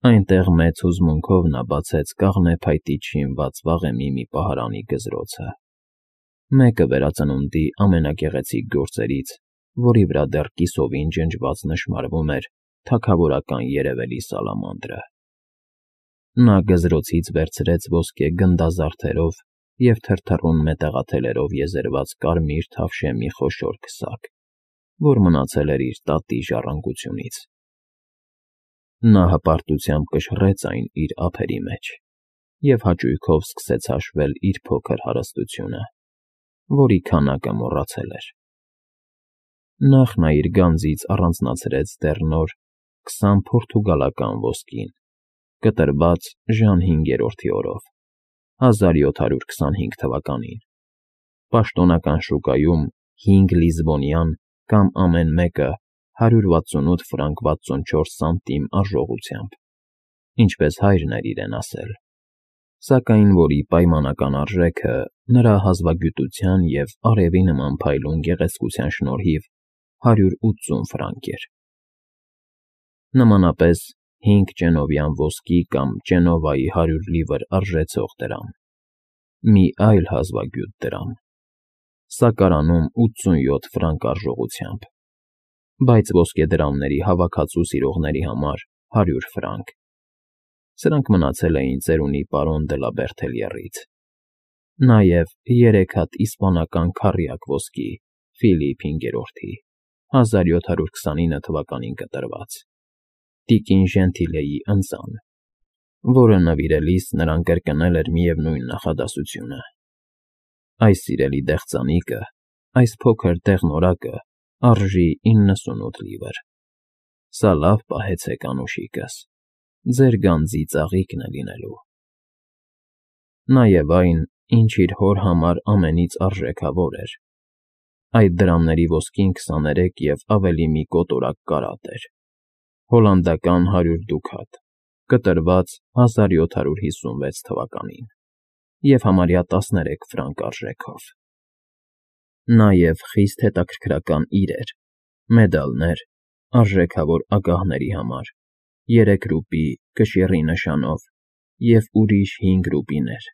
Այնտեղ մեծ հուզմունքով նա բացեց կաղնե փայտից շինված վաղեմի մի պահարանի գզրոցը, մեկը վերածնունդի ամենագեղեցիկ գործերից, որի վրա դեռ կիսովին ջնջված նշմարվում էր թագավորական երևելի սալամանդրը։ Նա գզրոցից վերցրեց ոսկե գնդազարդերով և թրթռուն մետաղաթելերով եզերված կարմիր թավշե մի խոշոր քսակ, որ մնացել էր իր տատի ժառանգությունից։ Նա հպարտությամբ կշռեց այն իր ափերի մեջ և հաճույքով սկսեց հաշվել իր փոքր հարստությունը, որի քանակը մոռացել էր։ Նախ նա իր գանձից առանձնացրեց դեռ նոր 20 պորտուգալական ոսկին, կտրված Ժան V օրով, 1725 թվականին, պաշտոնական շուկայում 5 լիզբոնյան կամ ամեն մեկը 168 ֆրանկ 64 սանտիմ արժողությամբ, ինչպես հայրն էր իրեն ասել, սակայն որի պայմանական արժեքը նրա հազվագյուտության և արևի նման փայլուն գեղեցկության շնորհիվ 180 ֆրանկ էր։ Նմանապես 5 ճենովյան ոսկի կամ Ճենովայի 100 լիվր արժեցող դրամ, մի այլ հազվագյուտ դրամ, սակարանում 87 ֆրանկ արժողությամբ, բայց ոսկեդրամների հավաքածու սիրողների համար 100 ֆրանկ։ Սրանք մնացել էին ծերունի պարոն դը լա Բերթելյեռից։ Նաև 3 հատ իսպանական քառյակ ոսկի Ֆիլիպ V-ի, 1729 թվականին կտրված, տիկին Ժենթիլեի ընծան, որը նվիրելիս նրան կրկնել էր միևնույն նախադասությունը. «Այս սիրելի դեղձանիկը, այս փոքր դեղնորակը արժի 98 լիվր։ Սա լավ պահեցեք, անուշիկս, ձեր գանձի ծաղիկն է լինելու»։ Նաև այն, ինչ իր հոր համար ամենից արժեքավոր էր։ Այդ դրամների ոսկին 23 և ավելի մի կոտորակ կարատ էր, հոլանդական 100 դուքաթ, կտրված 1756 թվականին և համարյա 13 ֆրանկ արժեքով։ Նաև խիստ հետաքրքրական իրեր, մեդալներ, արժեքավոր ագահների համար, 3 ռուպի կշիռի նշանով և ուրիշ 5 ռուպիներ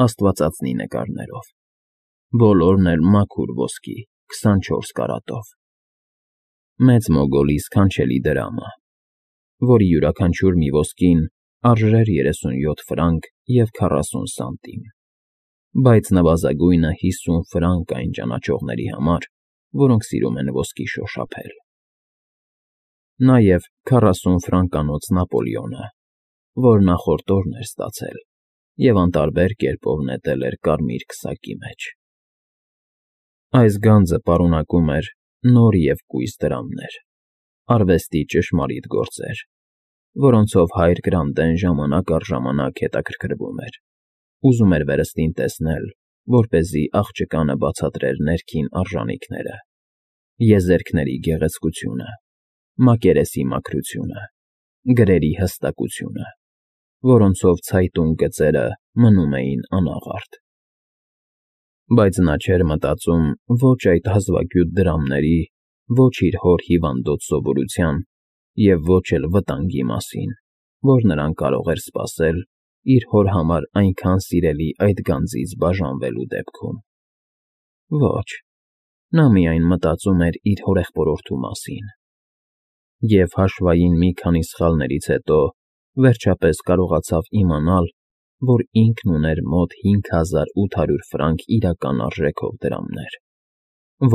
աստվածածնի նկարներով, բոլորն էլ մաքուր ոսկի 24 կարատով։ Մեծ Մոգոլի սքանչելի դրամը, որի յուրաքանչյուր մի ոսկին արժեր 37 ֆրանկ և 40 սանտիմ, բայց նվազագույնը 50 ֆրանկ այն ճանաչողների համար, որոնք սիրում են ոսկի շոշափել։ Նաև 40 ֆրանկանոց Նապոլեոնը, որ նախորդ օրն էր ստացել և անտարբեր կերպով նետել էր կարմիր քսակի մեջ։ Այս գանձը պարունակում էր նոր և կույս դրամներ, արվեստի ճշմարիտ գործեր, որոնցով հայր Գրանտեն ժամանակ առ ժամանակ հետաքրքրվում էր, ուզում էր վերստին տեսնել, որպեսզի աղջկանը բացատրեր ներքին արժանինքները, եզերքների գեղեցկությունը, մակերեսի մաքրությունը, գրերի հստակությունը, որոնցով ցայտուն գծերը մնում էին անաղարտ։ Բայց նա չէր մտածում ոչ այդ հազվագյուտ դրամների, ոչ իր հոր հիվանդոտ սովորության և ոչ էլ վտանգի մասին, որ նրան կարող էր սպասել իր հոր համար այնքան սիրելի այդ գանձից բաժանվելու դեպքում։ Ոչ, նա միայն մտածում էր իր հորեղբորորդու մասին։ Եվ հաշվային մի քանի սխալներից հետո վերջապես կարողացավ իմանալ, որ ինքն ուներ մոտ 5800 ֆրանկ իրական արժեքով դրամներ,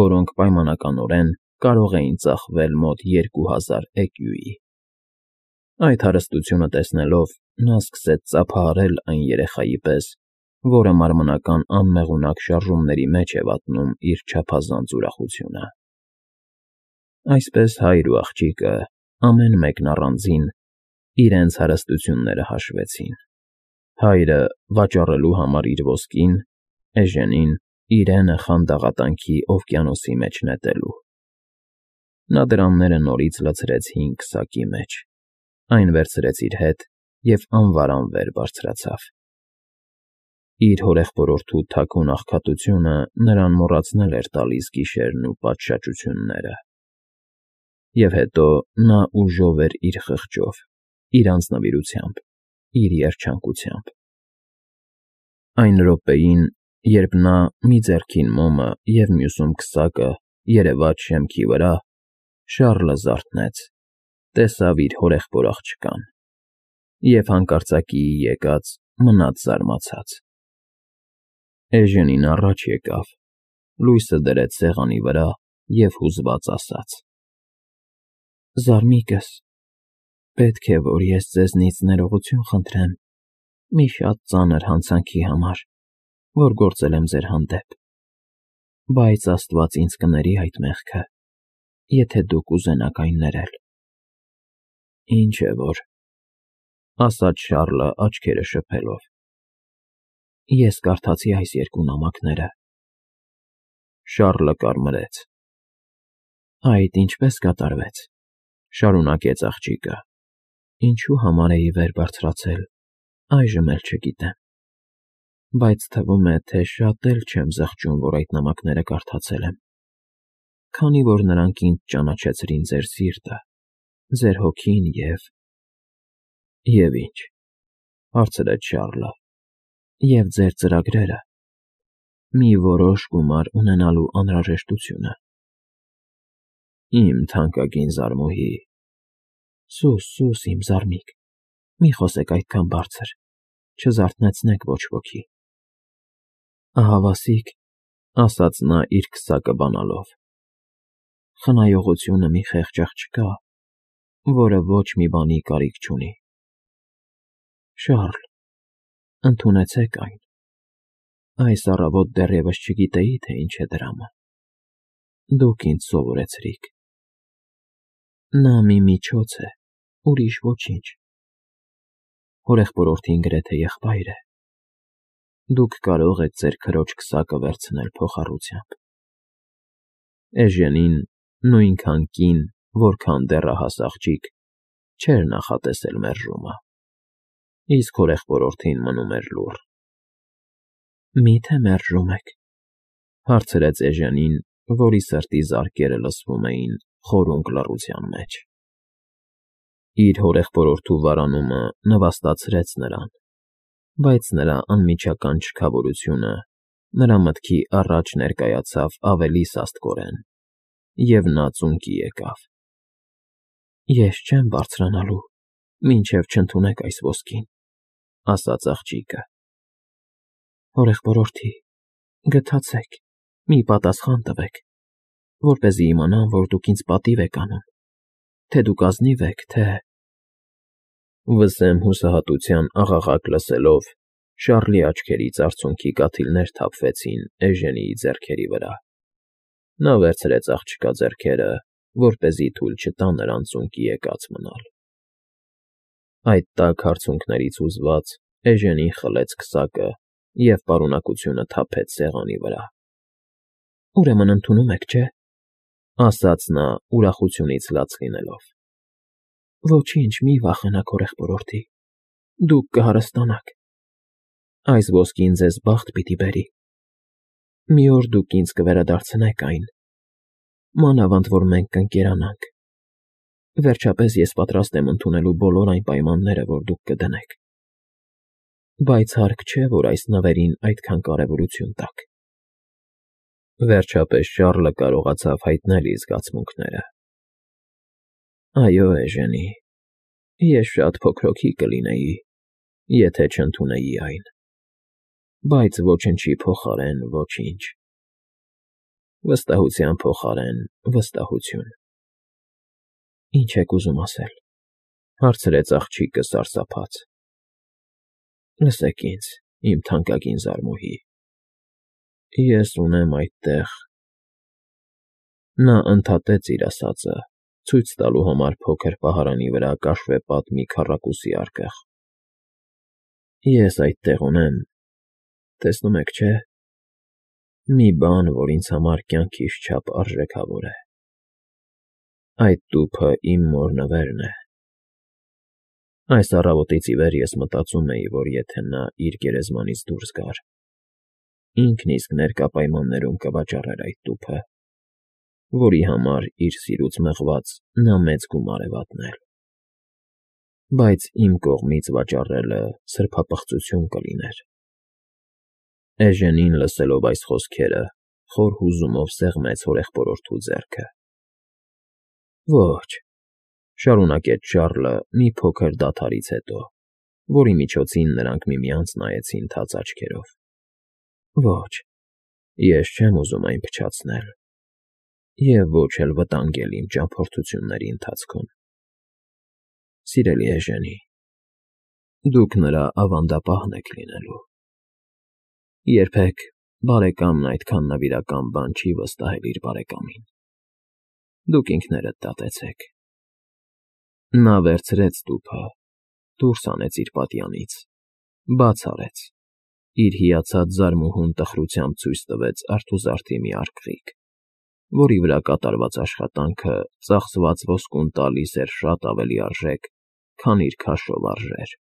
որոնք պայմանականորեն կարող էին ծախվել մոտ 2000 էկյուի։ Այդ հարստությունը տեսնելով նա սկսեց ծափահարել այն երեխայի պես, որը մարմնական անմեղունակ շարժումների մեջ է վատնում իր չափազանց ուրախությունը։ Այսպես հայր ու աղջիկը, ամեն մեկն առանձին, իրենց հարստությունները հաշվեցին. հայրը վաճառելու համար իր ոսկին, Էժենին իրենը խանդաղատանքի օվկիանոսի մեջ նետելու։ Նա դրամները նորից լցրեց հին քսակի մեջ, այն վերցրեց իր հետ և անվարան վեր բարձրացավ։ Իր հորեղբորորդու թաքուն աղքատությունը նրան մոռացնել էր տալիս գիշերն ու պատշաճությունները։ Եվ հետո նա ուժով էր իր խղճով, իր անձնվիրությամբ, իր երջանկությամբ։ Այն րոպեին, երբ նա մի ձեռքին մոմը և մյուսում քսակը երևաց շեմքի վրա, Շառլը զարթնեց, տեսավ իր հորեղբոր աղջկան և հանկարծակիի եկած մնաց զարմացած։ Էժենին առաջ եկավ, լույսը դրեց սեղանի վրա և հուզված ասաց. «Զարմիկս, պետք է, որ ես ձեզնից ներողություն խնդրեմ մի շատ ծանր հանցանքի համար, որ գործել եմ ձեր հանդեպ, բայց Աստված ինձ կների այդ մեղքը, եթե դուք ուզենաք այն ներել»։ «Ինչ է որ,֊ ասաց Շառլը աչքերը շփելով,֊ ես կարդացի այս երկու նամակները»։ Շառլը կարմրեց։ «Այդ ինչպե՞ս կատարվեց,֊ շարունակեց աղջիկը,֊ ինչու համար էի վեր բարձրացել, այժմ էլ չգիտեմ, բայց թվում է, թե շատ էլ չեմ զղջում, որ այդ նամակները կարդացել եմ, քանի որ նրանք ինձ ճանաչեցրին ձեր սիրտը, ձեր հոգին և…»։ «Եվ ի՞նչ,֊ հարցրեց Շառլը,֊ և ձեր ծրագրերը, մի որոշ գումար ունենալու անհրաժեշտությունը»։ «Իմ թանկագին զարմուհի…» Սուս, իմ զարմիկ, մի խոսեք այդքան բարձր, չզարթնեցնեք ոչ ոքի։ «Ահավասիկ,֊ ասաց նա իր քսակը բանալով,֊ խնայողությունը մի խեղճ աղջկա, որը ոչ մի բանի կարիք չունի։ Շառլ, ընդունեցեք այն։ Այս առավոտ դեռևս չգիտեի, թե ինչ է դրամը։ Դուք ինձ սովորեցրիք։ Նա մի միջոց է, ուրիշ ոչինչ։ Հորեղբորորդին գրեթե եղբայր է։ Դուք կարող եք ձեր քրոջ քսակը վերցնել փոխառությամբ»։ Էժենին, նույնքան կին, որքան դեռահաս աղջիկ, չէր նախատեսել մերժումը, իսկ հորեղբորորդին մնում էր լուռ։ «Մի՞թե մերժում եք,֊ հարցրեց էժենին, որի սրտի զարկերը լսվում էին խորունկ լռության մեջ։ Իր հորեղբորորդու վարանումը նվաստացրեց նրան, բայց նրա անմիջական չքավորությունը նրա մտքի առաջ ներկայացավ ավելի սաստկորեն, և նա ծունկի եկավ։ «Ես չեմ բարձրանալու, մինչև չընդունեք այս ոսկին,֊ ասաց աղջիկը։ Հորեղբորորդի, գթացեք, մի պատասխան տվեք, որպեսզի իմանամ, որ դուք ինձ պատիվ եք անում, թե դուք ազնիվ եք, թե…»։ Վսեմ հուսահատության աղաղակ լսելով, Շառլի աչքերից արցունքի կաթիլներ թափվեցին էժենիի ձեռքերի վրա։ Նա վերցրեց աղջկա ձեռքերը, որպեսզի թույլ չտա նրան ծունկի եկած մնալ։ Այդ տաք արցունքներից հուզված էժենին խլեց քսակը և պարունակությունը թափեց սեղանի վրա։ «Ուրեմն ընդունում եք, չէ՞,֊ ասաց նա ուրախությունից լաց լինելով։ Ոչինչ, մի վախենաք, հորեղբորորդի, դուք կհարստանաք։ Այս ոսկին ձեզ բախտ պիտի բերի։ Մի օր դուք ինձ կվերադարձնեք այն, մանավանդ որ մենք կընկերանանք։ Վերջապես ես պատրաստ եմ ընդունելու բոլոր այն պայմանները, որ դուք կդնեք։ Բայց հարկ չէ, որ այս նվերին այդքան կարևորություն տաք»։ Վերջապես Շառլը կարողացավ հայտնել իր զգացմունքները։ «Այո, էժենի, ես շատ փոքրոքի կլինեի, եթե չընդունեի այն, բայց ոչնչի փոխարեն ոչինչ։ Վստահության փոխարեն վստահություն»։ «Ինչ եք ուզում ասել,֊ հարցրեց աղջիկը սարսափած։ Լսեք ինձ, իմ թանկագին զարմուհի, ես ունեմ այդտեղ…»։ Նա ընդհատեց իր ասածը, ցույց տալու համար փոքր պահարանի վրա կաշվեպատ մի քառակուսի արկղ։ «Ես այդտեղ ունեմ, տեսնում եք, չէ՞, մի բան, որ ինձ համար կյանքիս չափ արժեքավոր է։ Այդ տուփը իմ մոր նվերն է։ Այս առավոտից ի վեր ես մտածում էի, որ եթե նա իր գերեզմանից դուրս գար, ինքն իսկ ներկա պայմաններում կվաճառեր այդ տուփը, որի համար իր սիրուց մղված նա մեծ գումար է վատնել։ բայց իմ կողմից վաճառելը սրբապղծություն կլիներ։ Էժենին լսելով այս խոսքերը, խոր հուզումով սեղմեց հորեղբորորդու ձեռքը։ Ոչ, շարունակեց Շառլը մի փոքր դադարից հետո, որի միջոցին նրանք միմյանց նայեցին թաց աչքերով։ Ոչ, ես չեմ ուզում այն փչացնել, և ոչ էլ վտանգել իմ ճամփորդությունների ընթացքում։ Սիրելի էժենի, դուք նրա ավանդապահն եք լինելու։ Երբեք բարեկամն այդքան նվիրական բան չի վստահել իր բարեկամին։ Դուք ինքներդ դատեցեք։ Նա վերցրեց տուփը, դուրս հանեց իր պատյանից, բաց արեց, իր հիացած զարմուհուն տխրությամբ ցույց տվեց արթուզարդի մի արկղիկ, որի վրա կատարված աշխատանքը ծախսված ոսկուն տալիս էր շատ ավելի արժեք, քան իր քաշով արժեր։